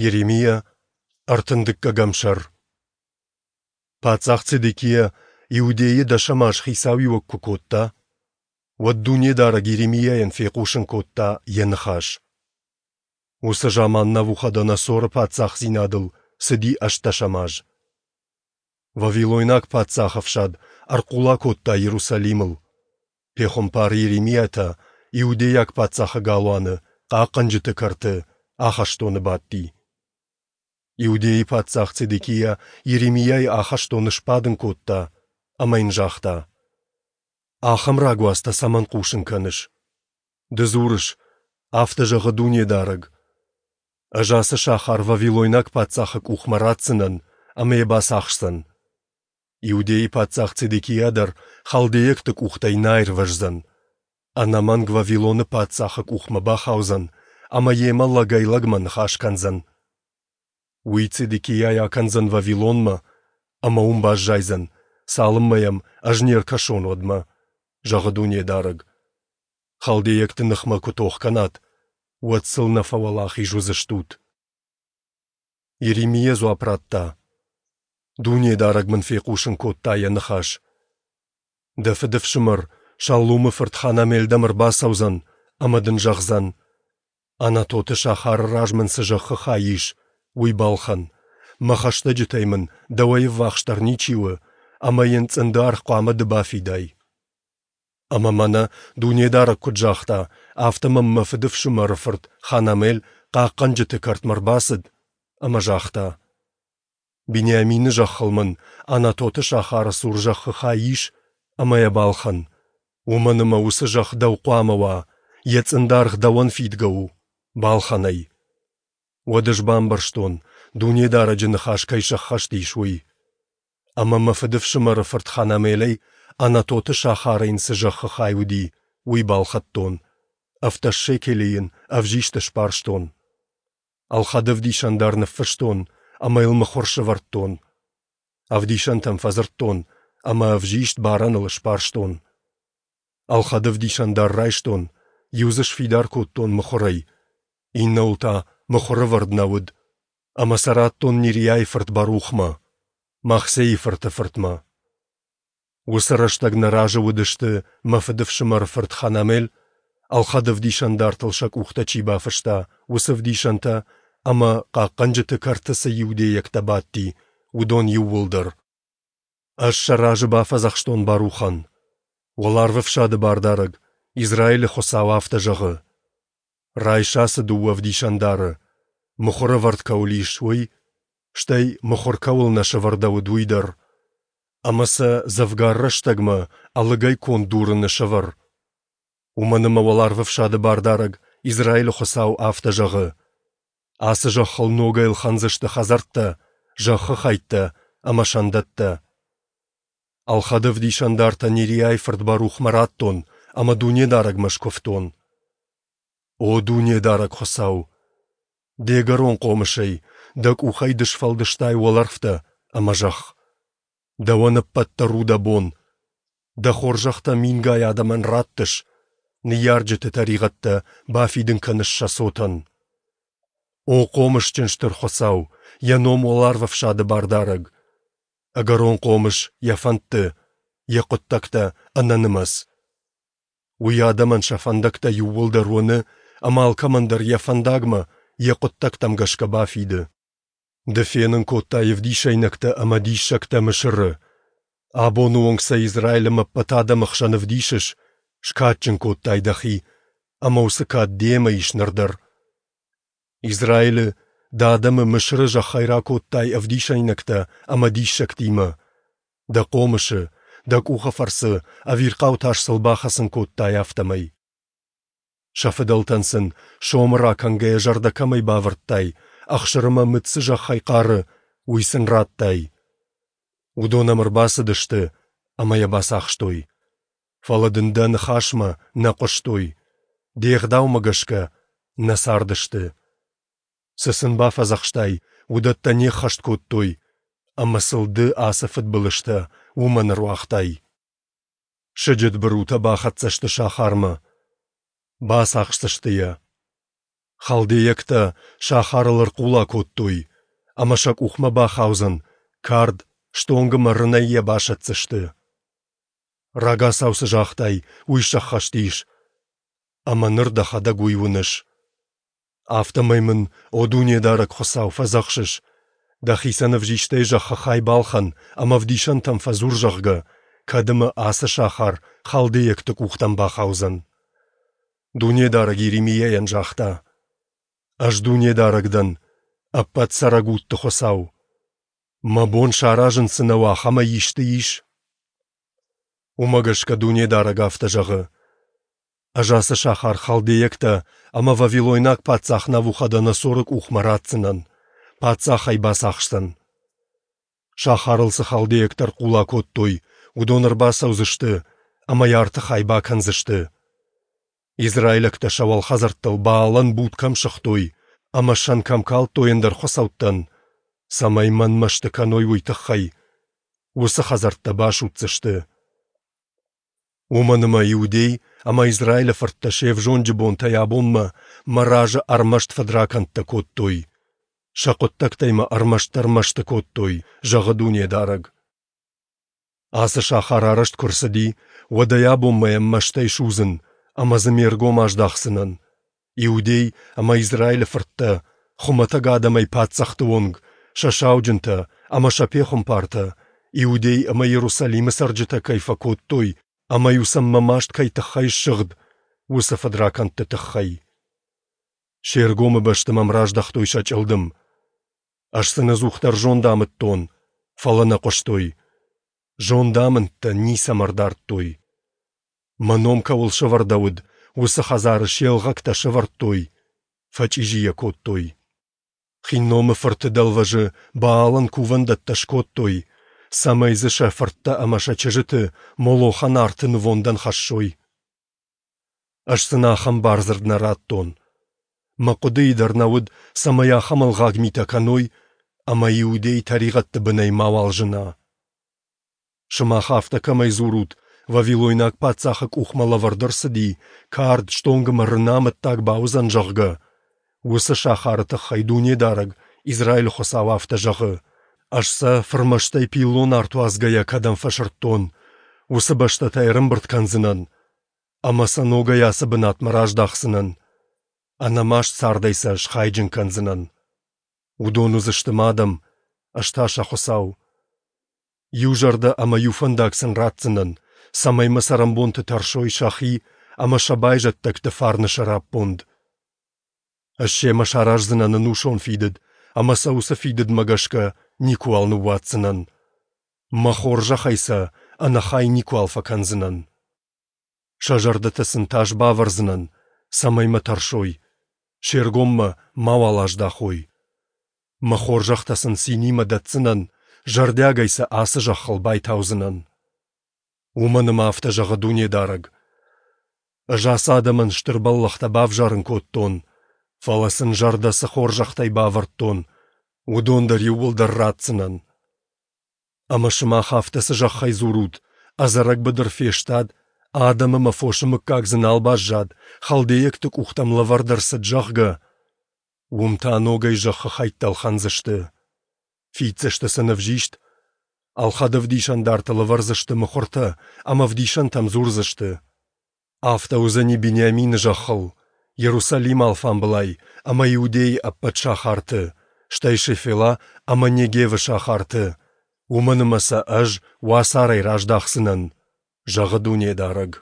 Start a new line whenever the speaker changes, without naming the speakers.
Йеремиа, ӕртындыккӕгӕм сӕр. Паддзах Цедекиа Иудейы дӕсӕм аз хицауиуӕг куы кодта, уӕд Дунедарӕг Йеремиайӕн фехъусын кодта Йӕ ныхас. Уыцы заман Навуходоносоры паддзахдзинадыл цыди ӕстдӕсӕм аз. Вавилойнаг паддзах ӕфсад ӕрхъула кодта Иерусалимыл. Пехуымпар Йеремиа та иудейаг паддзахы галуаны, хъахъхъӕнджыты кӕрты, ахӕстоны бадти. Иудейы паддзах Цедекиа Йеремиайы ахӕстоны сбадын кодта ӕмӕ йын загъта: «Ахӕм рагуацтӕ цӕмӕн хъусын кӕныс? Ды дзурыс, афтӕ зӕгъы Дунедарӕг: Ӕз ацы сахар вавилойнаг паддзахы къухмӕ ратдзынӕн, ӕмӕ йӕ бацахсдзӕн. Иудейы паддзах Цедекиа дӕр халдейӕгты къухтӕй нӕ аирвӕздзӕн. Ӕнӕмӕнг Вавилоны паддзахы къухмӕ бахаудзӕн ӕмӕ йемӕ лӕгӕй-лӕгмӕ ныхас кӕндзӕн. Уый Цедекиайы акӕндзӕн Вавилонмӕ ӕмӕ уым баззайдзӕн, цалынмӕ йӕм ӕз не ркӕсон, уӕдмӕ, зӕгъы Дунедарӕг. Халдейӕгты ныхмӕ куы тох кӕнат, уӕд сыл нӕ фӕуӕлахиз уыдзыстут. Йеремиа дзуапп радта: Дунедарӕг мын фехъусын кодта йӕ ныхас. Дӕ фыдыфсымӕр Шаллумы фырт Ханамел дӕм ӕрбацӕудзӕн ӕмӕ дын зӕгъдзӕн: Анатоты сахары раз мын цы зӕххы хай ис, уый балхӕн. Мӕ хӕстӕджытӕй мын дӕуӕй ӕввахсдӕр ничи у, ӕмӕ йын цъынды аргъ хъуамӕ ды бафидай. Ӕмӕ мӕнӕ Дунедарӕг куыд загъта, афтӕ мӕм мӕ фыдыфсымӕры фырт Ханамел хъахъхъӕнджыты кӕртмӕ ӕрбацыд ӕмӕ загъта: Бениамины зӕххыл мын Анатоты сахары цур зӕххы хай ис ӕмӕ йӕ балхӕн, уымӕн ӕмӕ уыцы зӕхх дӕу хъуамӕ уа, йӕ цъындаргъ дӕуӕн фидгӕ у, балхӕн ӕй. Уӕд ӕз бамбӕрстон, Дунедарӕджы ныхас кӕй сӕххӕст ис, уый. Ӕмӕ мӕ фыдыфсымӕры фырт Ханамелӕй Анатоты сахары йын цы зӕххы хай уыди, уый балхӕдтон, 17 шекелы йын ӕвзист сбарстон. Ӕлхӕд ӕвдисӕн дӕр ныффыстон ӕмӕ йыл мыхуыр сӕвӕрдтон. Ӕвдисӕнтӕм фӕдзырдтон ӕмӕ ӕвзист барӕныл сбарстон. Ӕлхӕд ӕвдисӕн дӕр райстон, иу дзы сфидар кодтон мыхуырӕй, иннӕуыл та мыхуыр ӕвӕрд нӕ уыд, ӕмӕ сӕ радтон Нериайы фырт Барухмӕ, Махсейы фырты фыртмӕ. Уыцы рӕстӕг нӕ разы уыдысты мӕ фыдыфсымӕры фырт Ханамел, ӕлхӕд ӕвдисӕндартыл сӕ къухтӕ чи бафыста, уыцы ӕвдисӕнтӕ ӕмӕ, хъахъхъӕнджыты кӕрты цы иудейӕгтӕ бадти, уыдон иууылдӕр. Ӕз сӕ разы бафӕдзӕхстон Барухӕн: Уӕларвӕфсады Бардарӕг, Израилы Хуыцау афтӕ зӕгъы: Райс ацы дыууӕ ӕвдисӕндары, мыхуыр ӕвӕрд кӕуыл ис, уый, стӕй мыхуыр кӕуыл нӕ сӕвӕрдӕуыд, уый дӕр, ӕмӕ сӕ дзӕвгар рӕстӕгмӕ ӕлыгӕй конд дурыны сӕвӕр. Уымӕн ӕмӕ Уӕларвӕфсады Бардарӕг, Израилы Хуыцау, афтӕ зӕгъы: Ацы зӕххыл ногӕй ӕлхӕндзысты хӕдзӕрттӕ, зӕххы хӕйттӕ ӕмӕ сӕндӕттӕ. Ӕлхӕд ӕвдисӕндартӕ Нериайы фырт Барухмӕ радтон ӕмӕ Дунедарӕгмӕ скуывтон. О Дунедарӕг Хуыцау! Де гӕрон хъомысӕй, дӕ къухӕй ды сфӕлдыстай уӕлӕрвтӕ ӕмӕ зӕхх. Дӕуӕн ӕппӕт дӕр у дӕ бон. Дӕ хорзӕхтӕ мингай адӕмӕн раттыс, ныййарджыты тӕригъӕдтӕ бафидын кӕныс сӕ цотӕн. О хъомысджын Стыр Хуыцау, йӕ ном уӕларвӕфсады Бардарӕг! Ӕгӕрон хъомыс йӕ фӕндты, йӕ хъуыддӕгтӕ ӕнӕнымӕц. Уый адӕмӕн сӕ фӕндӕгтӕ иууылдӕр уыны ӕмӕ алкӕмӕн дӕр йӕ фӕндагмӕ, йӕ хъуыддӕгтӕм гӕсгӕ бафиды. Ды фенын кодтай ӕвдисӕйнӕгтӕ ӕмӕ диссӕгтӕ Мысыры. Абоны онг сӕ Израилы ӕмӕ ӕппӕт адӕмы хсӕн ӕвдисыс, скадджын кодтай дӕхи, ӕмӕ уыцы кад демӕ ис ныр дӕр. Израилы, дӕ адӕмы Мысыры зӕххӕй ракодтай ӕвдисӕйнӕгтӕ ӕмӕ диссӕгтимӕ. Дӕ хъомысы, дӕ къухы фӕрцы ӕвирхъау тас сыл бахӕцын кодтай, афтӕмӕй. Сӕ фыдӕлтӕн сын, сомы ракӕнгӕйӕ зӕрдӕ кӕмӕй бавӕрдтай, ӕхсыр ӕмӕ мыд цы зӕххӕй хъары, уый сын радтай. Уыдон ӕм ӕрбацыдысты ӕмӕ йӕ бацахстой. Фӕлӕ дын дӕ ныхасмӕ нӕ хъуыстой, де гъдаумӕ гӕсгӕ нӕ цардысты. Цы сын бафӕдзӕхстай, уыдӕттӕ не ххӕст кодтой, ӕмӕ сыл ды ацы фыдбылызтӕ уымӕн ӕруагътай. Сыджыт бырутӕ бахӕццӕ сты сахармӕ. Бацахсдзысты йӕ. Халдейӕгтӕ сахарыл ӕрхъула кодтой, ӕмӕ сӕ къухмӕ бахаудзӕн кард, стонг ӕмӕ рынӕй йӕ басӕтдзысты. Рагацау цы загътай, уый сӕххӕст ис, ӕмӕ ныр дӕхӕдӕг уый уыныс. Афтӕмӕй мын, о Дунедарӕг Хуыцау, фӕдзӕхсыс, дӕхицӕн ӕвзистӕй зӕххы хай балхӕн ӕмӕ ӕвдисӕнтӕм фӕдзур, зӕгъгӕ, кӕд ӕмӕ ацы сахар халдейӕгты къухтӕм бахаудзӕн. Дунедарӕг Иеремийайӕн загъта: Ӕз Дунедарӕг дӕн, ӕппӕт цӕрӕг удты Хуыцау. Мӕ бон саразын цы нӕу, ахӕмӕй исты ис? Уымӕ гӕсгӕ Дунедарӕг афтӕ зӕгъы: Ӕз ацы сахар халдейӕгтӕ ӕмӕ вавилойнаг паддзах Навуходоносоры къухмӕ ратдзынӕн, паддзах ӕй бацахсдзӕн. Сахарыл цы халдейӕгтӕ ӕрхъула кодтой, уыдон ӕрбацӕудзысты ӕмӕ йӕ арты хай бакӕндзысты. Израилӕгтӕ сӕ уӕлхӕдзӕрттыл Баалӕн буд кӕм сыгътой ӕмӕ сӕн кӕм калдтой ӕндӕр хуыцӕуттӕн, цӕмӕй мӕн мӕсты кӕной, уый тыххӕй, уыцы хӕдзӕрттӕ басудздзысты. Уымӕн ӕмӕ Иудей ӕмӕ Израилы фырттӕ се взонджы бонтӕй абонмӕ мӕ разы ӕрмӕст фыдракӕндтӕ кодтой. Сӕ хъуыддӕгтӕй мӕ ӕрмӕстдӕр мӕсты кодтой, зӕгъы Дунедарӕг. Ацы сахар арӕзт куы рцыди, уӕдӕй абонмӕ йӕм мӕстӕй судзын ӕмӕ дзы ме ргом аздахдзынӕн. Иудей ӕмӕ Израилы фырттӕ, хуымӕтӕг адӕмӕй паддзӕхты онг, сӕ сауджынтӕ ӕмӕ сӕ пехуымпартӕ, Иудей ӕмӕ Иерусалимы цӕрджытӕ кӕй фӕкодтой ӕмӕ-иу сӕм мӕ маст кӕй тыххӕй ссыгъд, уыцы фыдракӕндты тыххӕй. Се ргомы бӕсты мӕм раздӕхтой сӕ чъылдым. Ӕз сын ӕдзухдӕр зонд амыдтон, фӕлӕ нӕ хъуыстой. Зондамындтӕ ницӕмӕ ӕрдардтой. Мӕ ном кӕуыл сӕвӕрдӕуыд, уыцы хӕдзары се лгъӕгтӕ сӕвӕрдтой, фӕчъизи йӕ кодтой. Хинномы фырты дӕлвӕзы Баалӕн кувӕндӕттӕ скодтой, цӕмӕй дзы сӕ фырттӕ ӕмӕ сӕ чызджыты Молохӕн арты нывондӕн хӕссой. Ӕз сын ахӕм бардзырд нӕ радтон. Мӕ хъуыдыйы дӕр нӕ уыд, цӕмӕй ахӕм ӕлгъаг митӕ кӕной ӕмӕ Иудей тӕригъӕдты бынӕй мауал зына. Сымах афтӕ кӕмӕй дзурут, вавилойнаг паддзахы къухмӕ лӕвӕрд ӕрцыди, кард, стонг ӕмӕ рыны амӕттаг бауыдзӕн, зӕгъгӕ, уыцы сахары тыххӕй Дунедарӕг, Израилы Хуыцау афтӕ зӕгъы: Ӕз сӕ фырмӕстӕй пиллон арт уадзгӕйӕ кӕдӕм фӕсырдтон, уыцы бӕстӕтӕ ӕрӕмбырд кӕндзынӕн ӕмӕ сӕ ногӕй ацы бынатмӕ раздахдзынӕн, ӕнӕмаст цардӕй сӕ схайджын кӕндзынӕн. Уыдон уыдзысты мӕ адӕм, ӕз та сӕ Хуыцау. Иу зӕрдӕ ӕмӕ иу фӕндаг сын ратдзынӕн, цӕмӕй мӕ цӕрӕнбонты тӕрсой сӕхи ӕмӕ сӕ байзӕддӕгты фарны сӕраппонд. Ӕз семӕ сараздзынӕн ӕнусон фидыд ӕмӕ сӕ уыцы фидыдмӕ гӕсгӕ никуыуал ныууадздзынӕн. Мӕ хорзӕхӕй сӕ ӕнӕхай никуал фӕкӕндзынӕн. Сӕ зӕрдӕтӕ сын тас бавӕрдзынӕн, цӕмӕй мӕ тӕрсой, се ргом мӕ мауал аздахой. Мӕ хорзӕхтӕ сын цинимӕ дӕтдзынӕн, зӕрдиагӕй сӕ ацы зӕххыл байтаудзынӕн. Уымӕн ӕмӕ афтӕ зӕгъы Дунедарӕг: Ӕз ацы адӕмӕн стыр бӕллӕхтӕ бавзарын кодтон, фӕлӕ сын зӕрдӕ цы хорзӕхтӕй бавӕрдтон, уыдон дӕр иууылдӕр ратдзынӕн. Ӕмӕ сымах афтӕ цы зӕххӕй дзурут, ӕдзӕрӕг быдыр фестад, адӕм ӕмӕ фосы мыггаг дзы нал баззад, халдейӕгты къухтӕм лӕвӕрд ӕрцыд, зӕгъгӕ, уым та ногӕй зӕххы хӕйттӕ ӕлхӕндзысты. Фиддзысты сын ӕвзист, ӕлхӕд ӕвдисӕндартыл ӕвӕрдзысты мыхуыртӕ ӕмӕ ӕвдисӕнтӕм дзурдзысты. Афтӕ уыдзӕни Бениамины зӕххыл, Иерусалимы алфамбылай ӕмӕ Иудейы ӕппӕт сахарты, стӕй Шефела ӕмӕ Негевы сахарты, уымӕн ӕмӕ сӕ Ӕз уацарӕй раздахдзынӕн, зӕгъы Дунедарӕг.